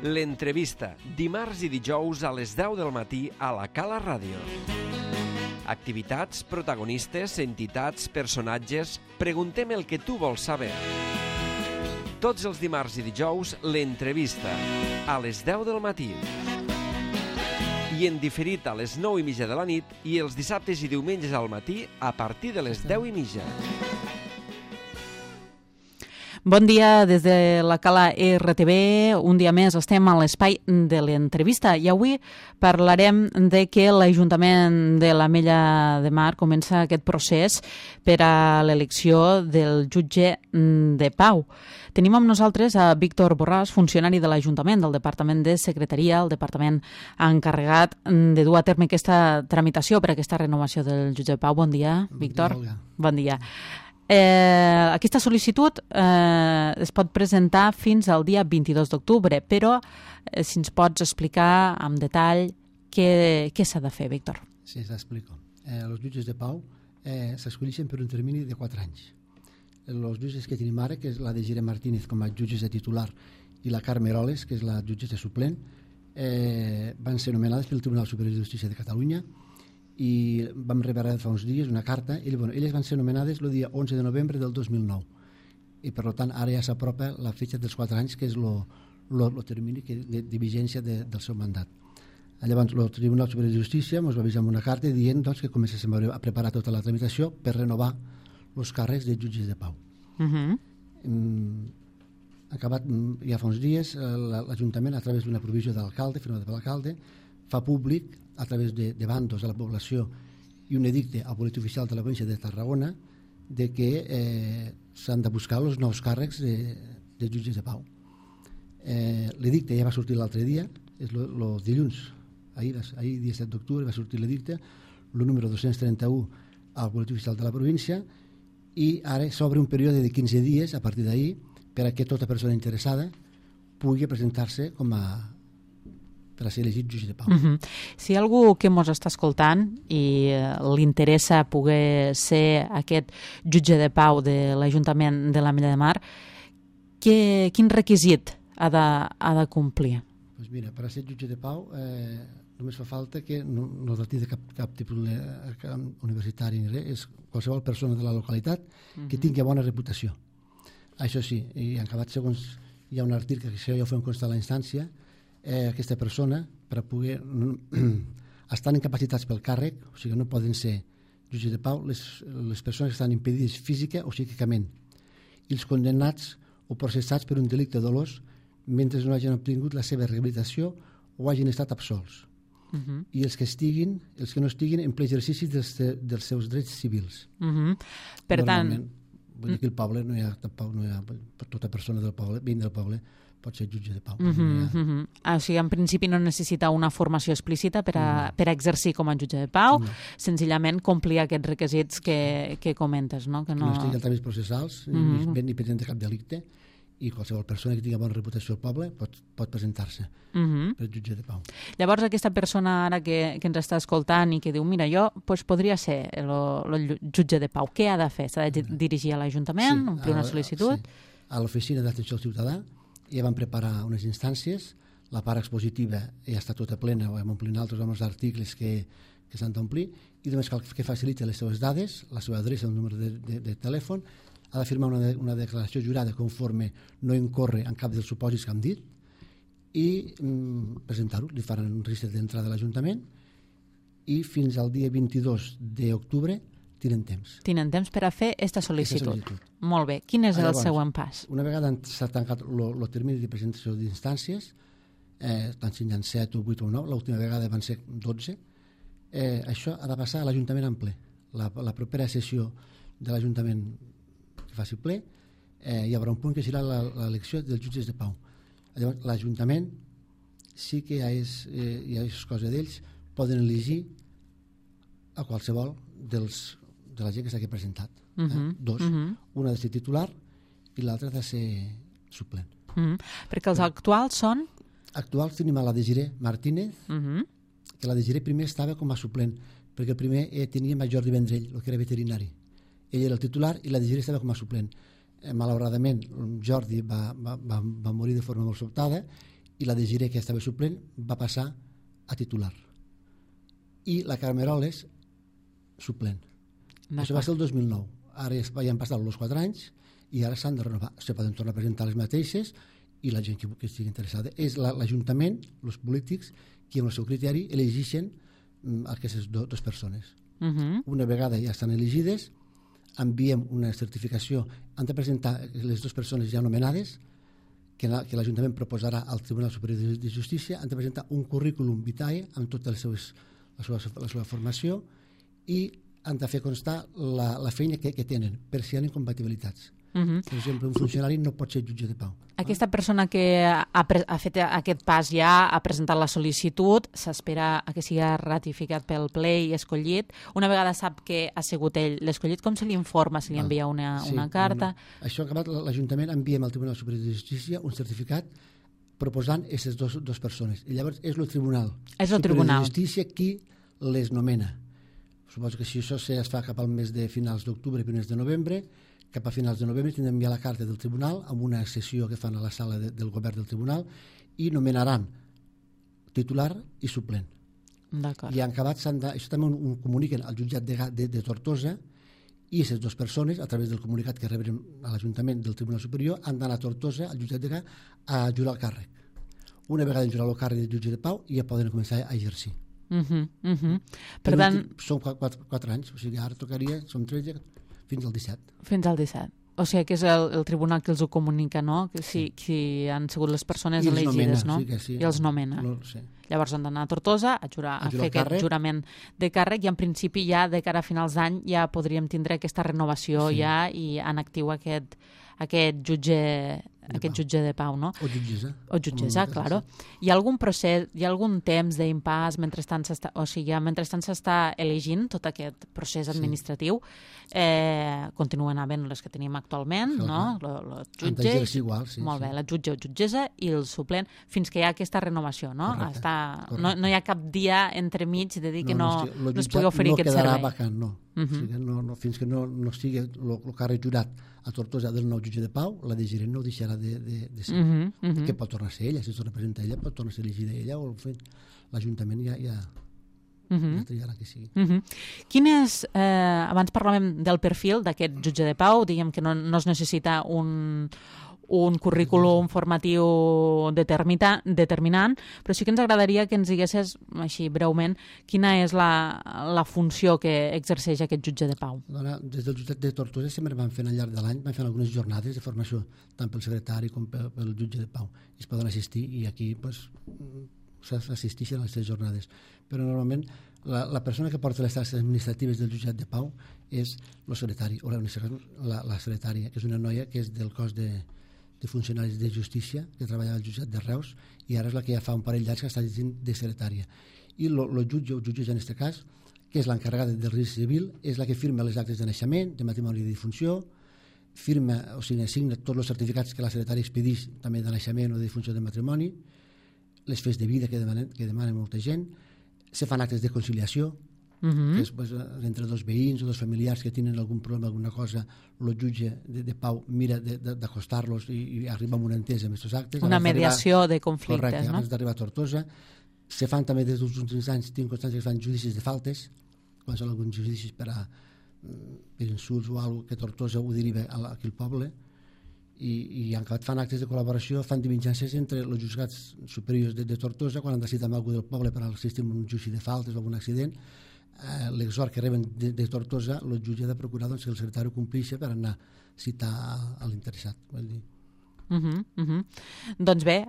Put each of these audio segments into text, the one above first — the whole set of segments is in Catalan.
L'entrevista, dimarts i dijous a les 10 del matí a la Cala Ràdio. Activitats, protagonistes, entitats, personatges... Preguntem el que tu vols saber. Tots els dimarts i dijous, l'entrevista, a les 10 del matí. I en diferit a les 9:30 de la nit i els dissabtes i diumenges al matí a partir de les 10:30. Bon dia des de la Cala RTV. Un dia més estem a l'espai de l'entrevista i avui parlarem de que l'Ajuntament de l'Ametlla de Mar comença aquest procés per a l'elecció del jutge de pau. Tenim amb nosaltres a Víctor Borràs, funcionari de l'Ajuntament, del Departament de Secretaria, el departament encarregat de dur a terme aquesta tramitació per a aquesta renovació del jutge de pau. Bon dia, Víctor. Bon dia. Aquesta sol·licitud es pot presentar fins al dia 22 d'octubre, però si ens pots explicar amb detall què s'ha de fer, Víctor. Sí, t'explico. Els jutges de pau s'escolleixen per un termini de 4 anys. Els jutges que tenim ara, que és la de Gire Martínez com a jutges de titular i la Carme Eroles, que és la jutge de suplent, van ser nomenades pel Tribunal Superior de Justícia de Catalunya i vam rebre fa uns dies una carta. Elles van ser nomenades el dia 11 de novembre del 2009 i per tant ara ja s'apropa la fetge dels 4 anys, que és el termini de vigència del seu mandat. Llavors el Tribunal Superior de Justícia ens va avisar amb una carta dient que comencéssim a preparar tota la tramitació per renovar els càrrecs de jutges de pau. Acabat ja fa uns dies, l'Ajuntament, a través d'una provisió de l'alcalde, firmada per l'alcalde, fa públic a través de bandos a la població i un edicte al Boletí Oficial de la província de Tarragona de que s'han de buscar els nous càrrecs de jutges de pau. L'edicte ja va sortir l'altre dia, és el dilluns, ahir 17 d'octubre va sortir l'edicte, el número 231 al Boletí Oficial de la província, i ara s'obre un període de 15 dies a partir d'ahir per a que tota persona interessada pugui presentar-se per a ser elegit jutge de pau. Si hi ha algú que ens està escoltant i li interessa poder ser aquest jutge de pau de l'Ajuntament de l'Ametlla de Mar, quin requisit ha de complir? Doncs mira, per a ser jutge de pau només fa falta que no tingui cap tipus universitari ni res, és qualsevol persona de la localitat que tingui bona reputació. Això sí, i en acabat segons hi ha un article que això ja ho fem constar a la instància, aquesta persona, per a poder estan incapacitats pel càrrec, o sigui, no poden ser jutges de pau les persones que estan impedides física o psíquicament, i els condemnats o processats per un delicte dolós mentre no hagin obtingut la seva rehabilitació o hagin estat absolts. I els que no estiguin en ple exercici dels seus drets civils. Per tant, vull dir que el poble no hi ha tota persona del poble, veïn del poble, pot ser jutge de pau. O sigui, en principi no necessita una formació explícita per a exercir com a jutge de pau, senzillament complir aquests requisits que comentes, no? Que no estigui en tràmits processals, ni presenta cap delicte, i qualsevol persona que tingui bona reputació al poble pot presentar-se per jutge de pau. Llavors, aquesta persona ara que ens està escoltant i que diu, mira, jo podria ser el jutge de pau, què ha de fer? S'ha de dirigir a l'Ajuntament, omplir una sol·licitud? Sí, a l'Oficina d'Atenció al Ciutadà ja van preparar unes instàncies, la part expositiva ja està tota plena, ho hem omplint altres amb els articles que s'han d'omplir, i només cal que faciliti les seves dades, la seva adreça, el número de telèfon, ha de firmar una declaració jurada conforme no incorre en cap dels supòsits que hem dit i presentar-ho. Li faran un registre d'entrada a l'Ajuntament i fins al dia 22 d'octubre tenen temps. Tenen temps per a fer aquesta sol·licitud. Molt bé. Quin és el següent pas? Una vegada s'ha tancat el termini de presentació d'instàncies, estan signant 7 o 8 o 9, l'última vegada van ser 12, això ha de passar a l'Ajuntament en ple. La propera sessió de l'Ajuntament que faci ple, hi haurà un punt que serà l'elecció dels jutges de pau. Llavors, l'Ajuntament sí que ja és cosa d'ells, poden elegir a qualsevol de la gent que s'ha presentat. Dos. Una ha de ser titular i l'altra ha de ser suplent. Perquè els actuals són? Actuals tenim a la de Gire Martínez, que la de Gire primer estava com a suplent, perquè el primer tenia en Jordi Vendrell, el que era veterinari. Ell era el titular i la de Gire estava com a suplent. Malauradament, Jordi va morir de forma molt sobtada i la Desiré, que estava suplent, va passar a titular. I la Carmeroles, suplent. Això va ser el 2009. Ara ja han passat els 4 anys i ara s'han de renovar. Se poden tornar a presentar les mateixes i la gent que estigui interessada. És l'Ajuntament, els polítics, qui amb el seu criteri elegeixen aquestes dues persones. Una vegada ja estan elegides, enviem una certificació. Han de presentar les dues persones ja nomenades, que l'Ajuntament proposarà al Tribunal Superior de Justícia. Han de presentar un currículum vitae amb tota la seva formació i han de fer constar la feina que tenen, per si hi ha incompatibilitats. Per exemple, un funcionari no pot ser jutge de pau. Aquesta persona que ha fet aquest pas ja ha presentat la sol·licitud, s'espera que sigui ratificat pel ple i escollit. Una vegada sap que ha sigut ell l'escollit, com se li informa? Se li envia una carta? Això acabat, l'Ajuntament enviem al Tribunal Superior de Justícia un certificat proposant aquestes dues persones. I llavors és el Tribunal Superior de Justícia qui les nomena. Suposo que si això es fa cap al mes de finals d'octubre, primers de novembre, cap a finals de novembre tindrem ja la carta del tribunal amb una sessió que fan a la sala del govern del tribunal i nomenaran titular i suplent. I en acabat això també ho comuniquen al jutjat de Tortosa i aquestes dues persones, a través del comunicat que rebrem a l'Ajuntament del Tribunal Superior, han d'anar a Tortosa, al jutjat de Gà, a jurar el càrrec. Una vegada jurar el càrrec de jutge de pau ja poden començar a exercir. Per tant, són 4 anys, o sigui, ara tocaria, som 13, fins al 17. Fins al 17. O sigui que és el tribunal que els ho comunica, no? Que si han sigut les persones elegides, no? I els nomena. Llavors han d'anar a Tortosa a fer aquest jurament de càrrec i en principi ja de cara a finals d'any ja podríem tindre aquesta renovació ja i en actiu aquest jutge de pau, no? O jutgessa. O jutgessa, claro. Hi ha algun procés, hi ha algun temps d'impàs mentrestant s'està elegint tot aquest procés administratiu? Continuen havent les que tenim actualment, no? Els jutges, molt bé, la jutge o jutgessa i el suplent, fins que hi ha aquesta renovació, no? No hi ha cap dia entremig de dir que no es pugui oferir aquest servei. No quedarà vacant, no. Fins que no estigui el càrrec jurat a Tortosa del nou jutge de pau, la de Girent no ho deixarà de ser. Que pot tornar a ser ella, si es representa ella, pot tornar a ser elegida ella, o l'Ajuntament ja triarà que sigui. Abans parlàvem del perfil d'aquest jutge de pau, diguem que no es necessita un currículum formatiu determinant, però sí que ens agradaria que ens diguessis, així breument, quina és la funció que exerceix aquest jutge de pau. Des del jutjat de Tortosa sempre van fent al llarg de l'any, van fent algunes jornades de formació, tant pel secretari com pel jutge de pau. I es poden assistir i aquí s'assisteixen a aquestes jornades. Però normalment la persona que porta les tasques administratives del jutjat de pau és el secretari, o la secretària, que és una noia que és del cos de funcionaris de justícia, que treballa al jutjat de Reus, i ara és la que ja fa un parell d'anys que està llegint de secretària. I el jutge o jutgessa en aquest cas, que és l'encarregada del registre civil, és la que firma les actes de naixement, de matrimoni i de difunció, assigna tots els certificats que la secretària expedeix també de naixement o de difunció de matrimoni, les fes de vida que demanen molta gent, se fan actes de conciliació, que és entre dos veïns o dos familiars que tenen algun problema, alguna cosa, el jutge de pau mira d'acostar-los i arriba a una entesa amb aquests actes. Una mediació de conflictes, correcte, no? Abans d'arribar a Tortosa. Se fan també des dels últims anys, tinc constància que es fan judicis de faltes, quan són alguns judicis per insults o alguna que Tortosa ho deriva aquí al poble, i en acabat fan actes de col·laboració, fan diligències entre els juzgats superiors de Tortosa quan han decidit amb algú del poble per assistir a un judici de faltes o algun accident. L'exhort que reben de Tortosa, el jutge ha de procurar que el secretari ho compleixi per anar a citar a l'interessat. Doncs bé,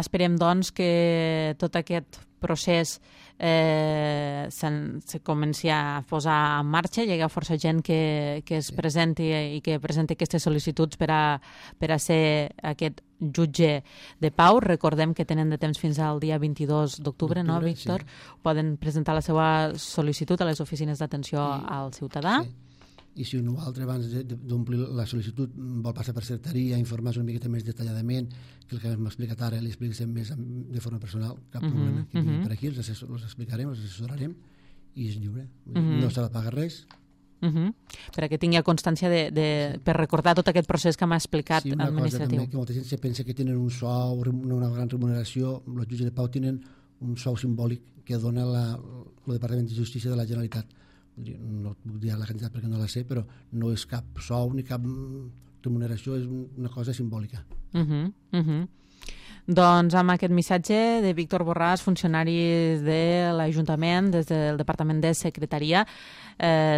esperem que tot aquest procés se comenci a posar en marxa, hi ha força gent que es presenti i que presenti aquestes sol·licituds per a ser aquest jutge de pau. Recordem que tenen de temps fins al dia 22 d'octubre, no, Víctor? Poden presentar la seva sol·licitud a les oficines d'atenció al ciutadà. I si un altre abans d'omplir la sol·licitud vol passar per secretaria, informar una miqueta més detalladament, que el que m'ha explicat ara li expliquem més de forma personal, cap problema. Per aquí els explicarem, els assessorarem i és lliure. No s'ha de pagar res perquè tingui constància per recordar tot aquest procés que m'ha explicat administratiu. Sí, una cosa també, que molta gent se pensa que tenen un sou, una gran remuneració. Els jutges de pau tenen un sou simbòlic que dona el Departament de Justícia de la Generalitat. No puc dir la quantitat perquè no la sé, però no és cap sou ni cap remuneració, és una cosa simbòlica. Doncs amb aquest missatge de Víctor Borràs, funcionari de l'Ajuntament, des del Departament de Secretaria,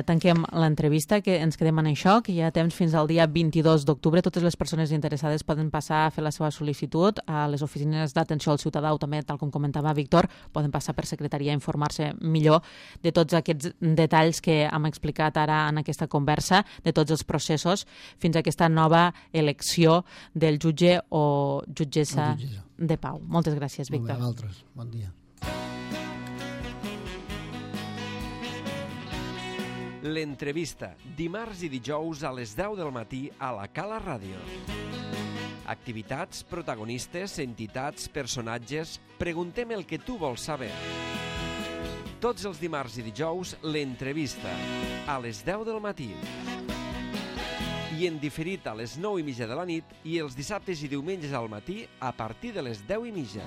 tanquem l'entrevista, que ens quedem en això, que hi ha temps fins al dia 22 d'octubre. Totes les persones interessades poden passar a fer la seva sol·licitud a les oficines d'atenció al ciutadà o també, tal com comentava Víctor, poden passar per secretaria a informar-se millor de tots aquests detalls que hem explicat ara en aquesta conversa, de tots els processos, fins a aquesta nova elecció del jutge o jutgessa de pau. Moltes gràcies, Víctor. Molt bé, a vosaltres. Bon dia. L'entrevista, dimarts i dijous a les 10 del matí a la Cala Ràdio. Activitats, protagonistes, entitats, personatges... Preguntem el que tu vols saber. Tots els dimarts i dijous, l'entrevista, a les 10 del matí. I en diferit a les 9:30 de la nit i els dissabtes i diumenges al matí a partir de les 10:30.